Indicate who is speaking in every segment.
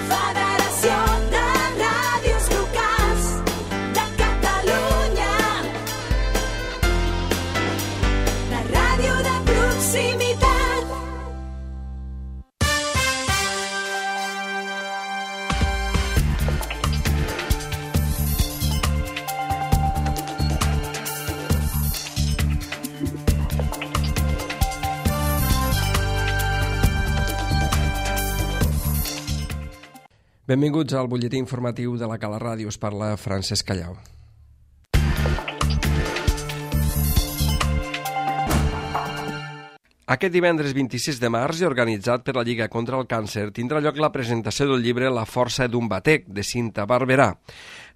Speaker 1: Federació de Ràdios Locals de Catalunya. La ràdio de proximitat.
Speaker 2: Benvinguts al butlletí informatiu de la Cala Ràdio. Us parla Francesc Callau. Aquest divendres 26 de març i organitzat per la Lliga contra el Càncer tindrà lloc la presentació del llibre La força d'un batec, de Cinta Barberà.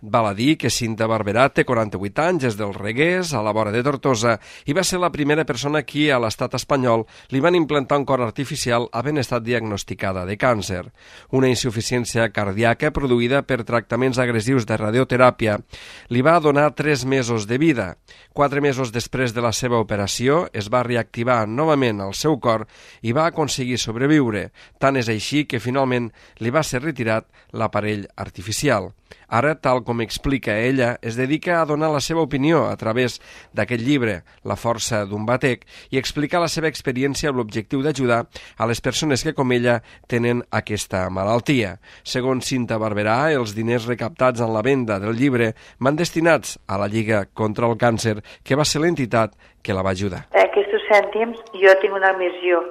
Speaker 2: Val a dir que Cinta Barberà té 48 anys, és del Reguers, a la vora de Tortosa, i va ser la primera persona qui a l'estat espanyol li van implantar un cor artificial havent estat diagnosticada de càncer. Una insuficiència cardíaca produïda per tractaments agressius de radioteràpia li va donar 3 mesos de vida. 4 mesos després de la seva operació es va reactivar novament el seu cor i va aconseguir sobreviure. Tant és així que finalment li va ser retirat l'aparell artificial. Ara, tal com explica ella, es dedica a donar la seva opinió a través d'aquest llibre, La força d'un batec, i explicar la seva experiència amb l'objectiu d'ajudar a les persones que, com ella, tenen aquesta malaltia. Segons Cinta Barberà, els diners recaptats en la venda del llibre van destinats a la Lliga contra el Càncer, que va ser l'entitat que la va ajudar.
Speaker 3: Aquests cèntims jo tinc una missió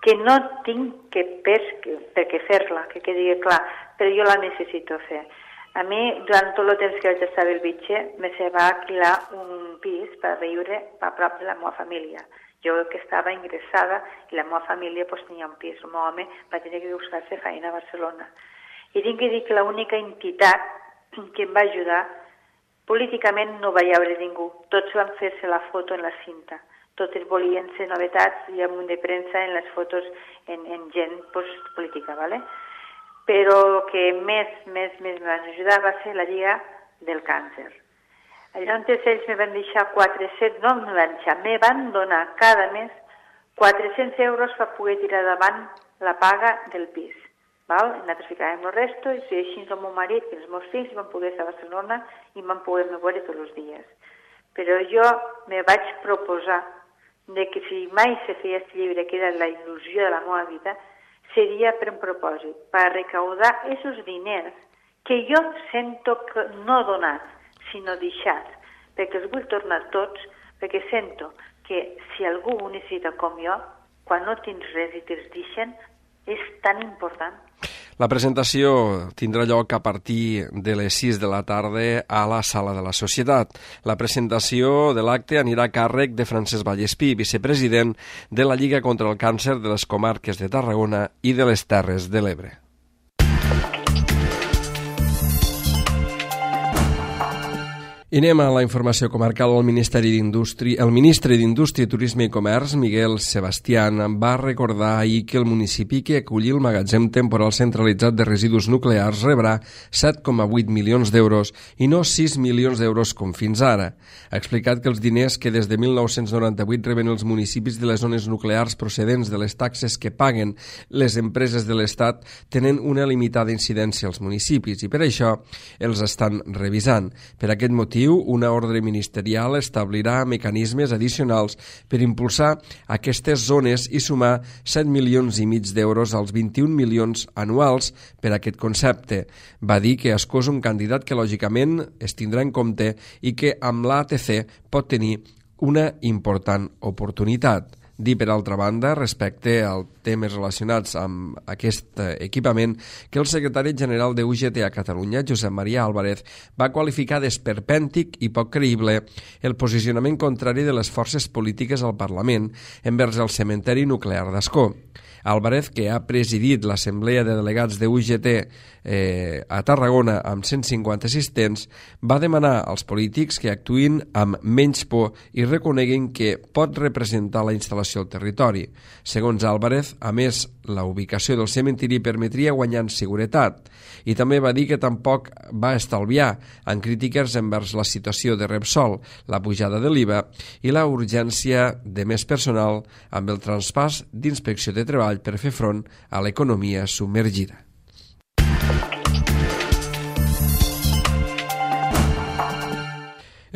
Speaker 3: que no tinc per què fer-la, que quedi clar, però jo la necessito fer. A mi, durant tot el temps que vaig estar a Bellvitge, me se va alquilar un pis per viure a prop de la meva família. Jo que estava ingressada i la meva família tenia un pis. El meu home va tenir que buscar-se feina a Barcelona. I tinc que dir que l'única entitat que em va ajudar, políticament no va hi haver ningú. Tots van fer-se la foto en la cinta. Totes volien ser novetats i amb un de premsa en les fotos en gent política, ¿vale? Però que més me van ajudar va ser la Lliga del Càncer. Llavors ells me van deixar 400, no me van deixar, me van donar cada mes 400 euros per poder tirar davant la paga del pis. Val? Nosaltres ficàvem el resto i així el meu marit i els meus fills van poder estar a Barcelona i van poder veure tots els dies. Però jo me vaig proposar de que si mai se feia aquest llibre, que era la il·lusió de la meva vida, seria per un propòsit, per recaudar aquests diners que jo sento que no donats, sinó deixats, perquè els vull tornar tots, perquè sento que si algú ho necessita com jo, quan no tens res i te'ls deixen, és tan important.
Speaker 2: La presentació tindrà lloc a partir de les 6 de la tarda a la Sala de la Societat. La presentació de l'acte anirà a càrrec de Francesc Vallespí, vicepresident de la Lliga contra el Càncer de les comarques de Tarragona i de les Terres de l'Ebre. I anem a la informació comarcal. El ministre d'Indústria, Turisme i Comerç, Miguel Sebastián, va recordar ahir que el municipi que acolli el magatzem temporal centralitzat de residus nuclears rebrà 7,8 milions d'euros i no 6 milions d'euros com fins ara. Ha explicat que els diners que des de 1998 reben els municipis de les zones nuclears procedents de les taxes que paguen les empreses de l'Estat tenen una limitada incidència als municipis i per això els estan revisant. Per aquest motiu, una ordre ministerial establirà mecanismes addicionals per impulsar aquestes zones i sumar 7 milions i mig d'euros als 21 milions anuals per a aquest concepte. Va dir que escó és un candidat que lògicament es tindrà en compte i que amb l'ATC pot tenir una important oportunitat. Dir, per altra banda, respecte als temes relacionats amb aquest equipament, que el secretari general de UGT a Catalunya, Josep Maria Álvarez, va qualificar d'esperpèntic i poc creïble el posicionament contrari de les forces polítiques al Parlament envers el cementeri nuclear d'Ascó. Álvarez, que ha presidit l'Assemblea de Delegats de UGT a Tarragona amb 150 assistents, va demanar als polítics que actuïn amb menys por i reconeguin que pot representar la instal·lació al territori. Segons Álvarez, a més, la ubicació del cementiri permetria guanyar en seguretat i també va dir que tampoc va estalviar en crítiques envers la situació de Repsol, la pujada de l'IVA i la urgència de més personal amb el traspàs d'inspecció de treball per fer front a l'economia submergida.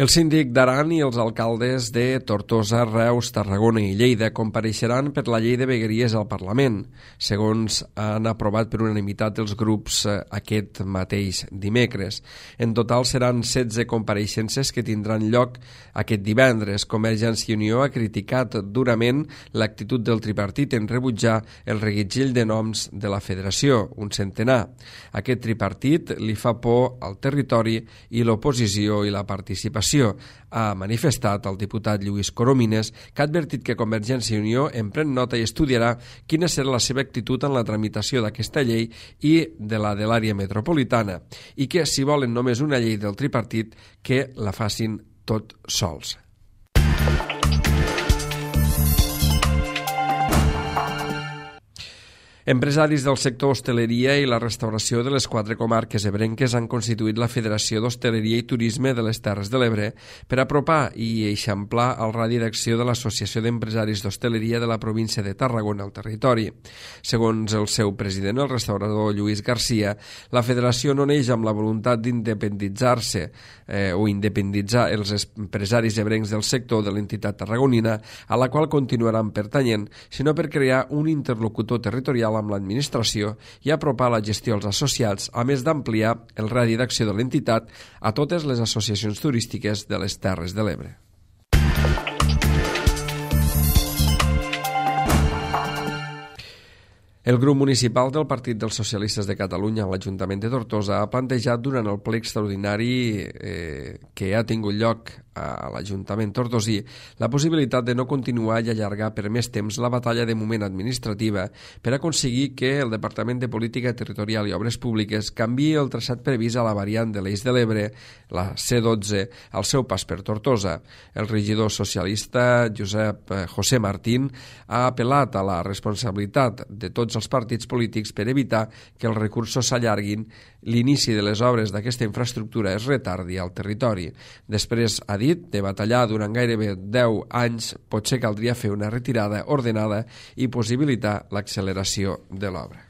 Speaker 2: El síndic d'Aran i els alcaldes de Tortosa, Reus, Tarragona i Lleida compareixeran per la llei de vegueries al Parlament, segons han aprovat per unanimitat els grups aquest mateix dimecres. En total seran 16 compareixences que tindran lloc aquest divendres. Convergència i Unió ha criticat durament l'actitud del tripartit en rebutjar el reguitzell de noms de la federació, un centenar. Aquest tripartit li fa por al territori i l'oposició i la participació. Ha manifestat el diputat Lluís Coromines, que ha advertit que Convergència i Unió en pren nota i estudiarà quina serà la seva actitud en la tramitació d'aquesta llei i de la de l'àrea metropolitana, i que si volen només una llei del tripartit, que la facin tot sols. Empresaris del sector hostaleria i la restauració de les 4 comarques ebrenques han constituït la Federació d'Hostaleria i Turisme de les Terres de l'Ebre per apropar i eixamplar el radi d'acció de l'Associació d'Empresaris d'Hostaleria de la província de Tarragona al territori. Segons el seu president, el restaurador Lluís Garcia, la federació no neix amb la voluntat d'independitzar-se o independitzar els empresaris ebrencs del sector de l'entitat tarragonina, a la qual continuaran pertanyent, sinó per crear un interlocutor territorial amb l'administració i apropar la gestió als associats, a més d'ampliar el radi d'acció de l'entitat a totes les associacions turístiques de les Terres de l'Ebre. El grup municipal del Partit dels Socialistes de Catalunya a l'Ajuntament de Tortosa ha plantejat durant el ple extraordinari que ha tingut lloc a l'Ajuntament tortosí la possibilitat de no continuar i allargar per més temps la batalla de moment administrativa per aconseguir que el Departament de Política Territorial i Obres Públiques canviï el traçat previst a la variant de l'Eix de l'Ebre, la C12, al seu pas per Tortosa. El regidor socialista Josep José Martín ha apel·lat a la responsabilitat de tots els partits polítics per evitar que els recursos s'allarguin, l'inici de les obres d'aquesta infraestructura es retardi al territori. Després ha dit, de batallar durant gairebé 10 anys, potser caldria fer una retirada ordenada i possibilitar l'acceleració de l'obra.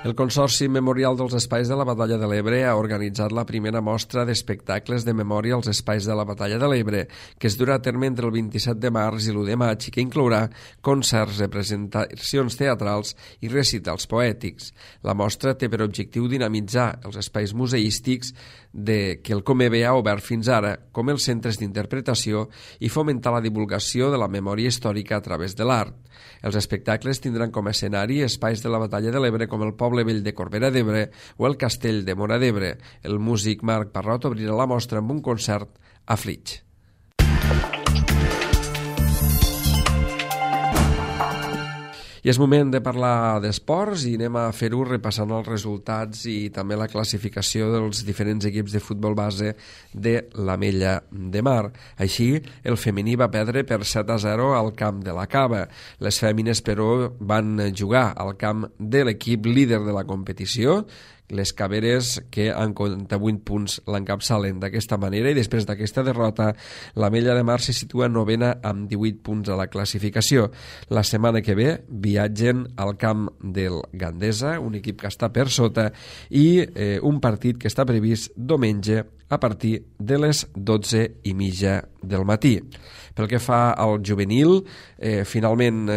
Speaker 2: El Consorci Memorial dels Espais de la Batalla de l'Ebre ha organitzat la primera mostra d'espectacles de memòria als Espais de la Batalla de l'Ebre, que es durà a terme entre el 27 de març i l'1 de maig i que inclourà concerts, representacions teatrals i recitals poètics. La mostra té per objectiu dinamitzar els espais museístics que el Comebe ha obert fins ara, com els centres d'interpretació, i fomentar la divulgació de la memòria històrica a través de l'art. Els espectacles tindran com a escenari espais de la Batalla de l'Ebre com el Poble Vell de Corbera d'Ebre o el Castell de Móra d'Ebre. El músic Marc Parrot obrirà la mostra amb un concert a Flix. I és moment de parlar d'esports i anem a fer-ho repassant els resultats i també la classificació dels diferents equips de futbol base de l'Ametlla de Mar. Així, el femení va perdre per 7-0 al camp de la Cava. Les fèmines, però, van jugar al camp de l'equip líder de la competició, les Caveres, que amb 48 punts l'encapçalen d'aquesta manera, i després d'aquesta derrota l'Ametlla de Mar se situa novena amb 18 punts a la classificació. La setmana que ve viatgen al camp del Gandesa, un equip que està per sota, i un partit que està previst diumenge a partir de les 12:30 del matí. Pel que fa al juvenil, finalment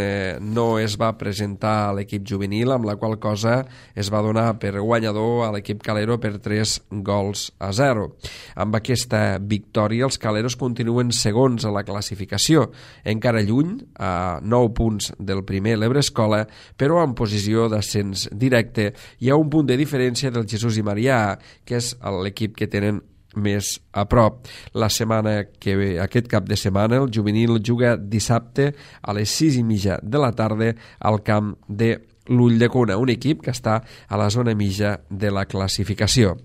Speaker 2: no es va presentar l'equip juvenil, amb la qual cosa es va donar per guanyador a l'equip Calero per 3-0. Amb aquesta victòria, els Caleros continuen segons a la classificació, encara lluny, a 9 punts del primer l'Ebrescola, però en posició d'ascens directe i a un punt de diferència del Jesús i Marià, que és l'equip que tenen més a prop. La setmana que ve, aquest cap de setmana, el juvenil juga dissabte a les 6:30 de la tarda al camp de l'Ulldecona, un equip que està a la zona mitja de la classificació.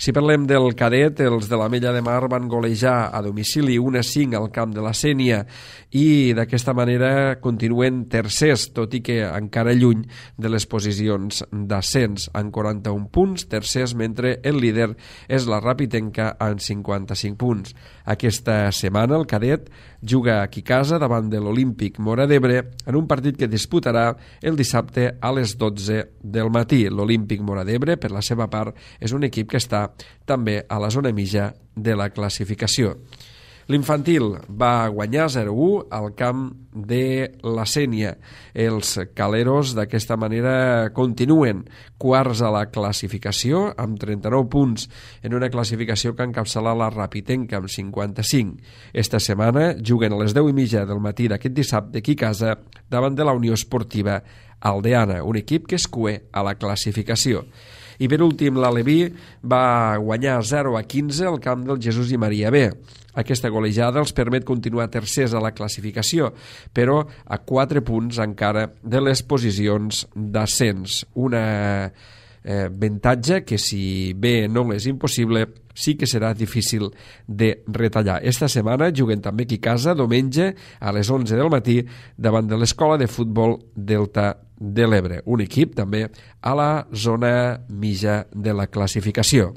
Speaker 2: Si parlem del cadet, els de l'Ametlla de Mar van golejar a domicili 1-5 al camp de la Sénia i d'aquesta manera continuen tercers, tot i que encara lluny de les posicions d'ascens, amb 41 punts, tercers, mentre el líder és la Rapitenca amb 55 punts. Aquesta setmana el cadet juga aquí a casa davant de l'Olímpic Móra d'Ebre en un partit que disputarà el dissabte a les 12 del matí. L'Olímpic Móra d'Ebre, per la seva part, és un equip que està també a la zona mitja de la classificació. L'infantil va guanyar 0-1 al camp de la Sénia. Els caleros d'aquesta manera continuen quarts a la classificació amb 39 punts en una classificació que encapçala la Rapitenca amb 55. Esta setmana juguen a les 10:30 del matí d'aquest dissabte aquí a casa davant de la Unió Esportiva Aldeana, un equip que es cue a la classificació. I per últim, l'Aleví va guanyar 0-15 al camp del Jesús i Maria B. Aquesta golejada els permet continuar tercers a la classificació, però a 4 punts encara de les posicions d'ascens. Una avantatge que, si bé no és impossible, sí que serà difícil de retallar. Esta setmana juguen també aquí a casa, diumenge a les 11 del matí, davant de l'Escola de Futbol Delta de l'Ebre, un equip també a la zona mitja de la classificació.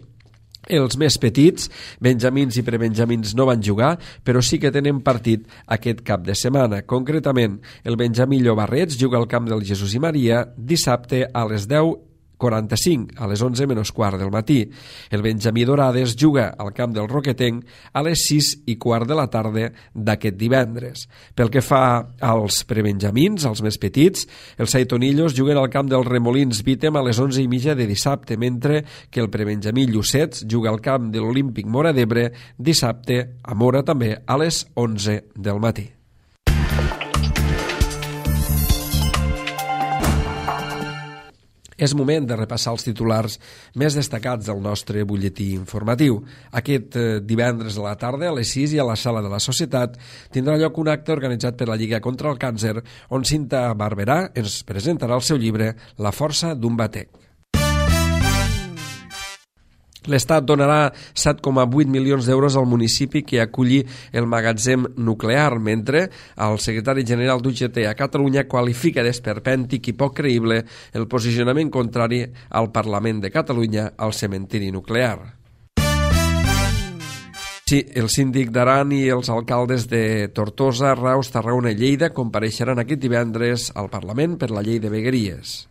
Speaker 2: Els més petits, benjamins i prebenjamins, no van jugar, però sí que tenen partit aquest cap de setmana. Concretament, el benjamí Llobarrets juga al camp del Jesús i Maria dissabte a les 10:45, a les 11:15 del matí. El benjamí Dorades juga al camp del Roquetenc a les 6:15 de la tarda d'aquest divendres. Pel que fa als prebenjamins, als més petits, els saitonillos juguen al camp dels Remolins Vítem a les 11:30 de dissabte, mentre que el prebenjamí Llucets juga al camp de l'Olímpic Móra d'Ebre dissabte a Móra també a les 11 del matí. És moment de repassar els titulars més destacats del nostre butlletí informatiu. Aquest divendres a la tarda, a les 6 i a la Sala de la Societat, tindrà lloc un acte organitzat per la Lliga contra el Càncer, on Cinta Barberà ens presentarà el seu llibre La força d'un batec. L'Estat donarà 7,8 milions d'euros al municipi que aculli el magatzem nuclear, mentre el secretari general d'UGT a Catalunya qualifica d'esperpèntic i poc creïble el posicionament contrari al Parlament de Catalunya al cementiri nuclear. Sí, el síndic d'Aran i els alcaldes de Tortosa, Reus, Tarragona i Lleida compareixeran aquest divendres al Parlament per la llei de vegueries.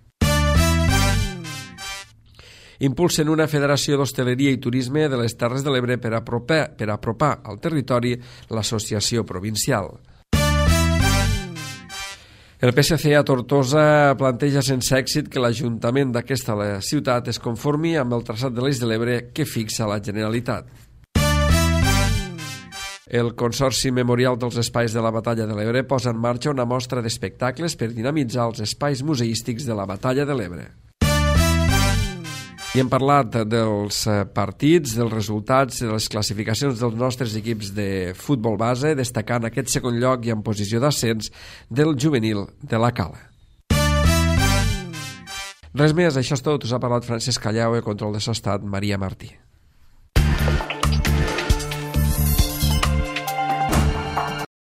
Speaker 2: Impulsen una federació d'hostaleria i turisme de les Terres de l'Ebre per apropar al territori l'associació provincial. El PSC a Tortosa planteja sense èxit que l'Ajuntament d'aquesta ciutat es conformi amb el traçat de l'Eix de l'Ebre que fixa la Generalitat. El Consorci Memorial dels Espais de la Batalla de l'Ebre posa en marxa una mostra d'espectacles per dinamitzar els espais museístics de la Batalla de l'Ebre. I hem parlat dels partits, dels resultats, de les classificacions dels nostres equips de futbol base, destacant aquest segon lloc i en posició d'ascens del juvenil de la Cala. Res més, això és tot. Us ha parlat Francesc Callau, control de so estat Maria Martí.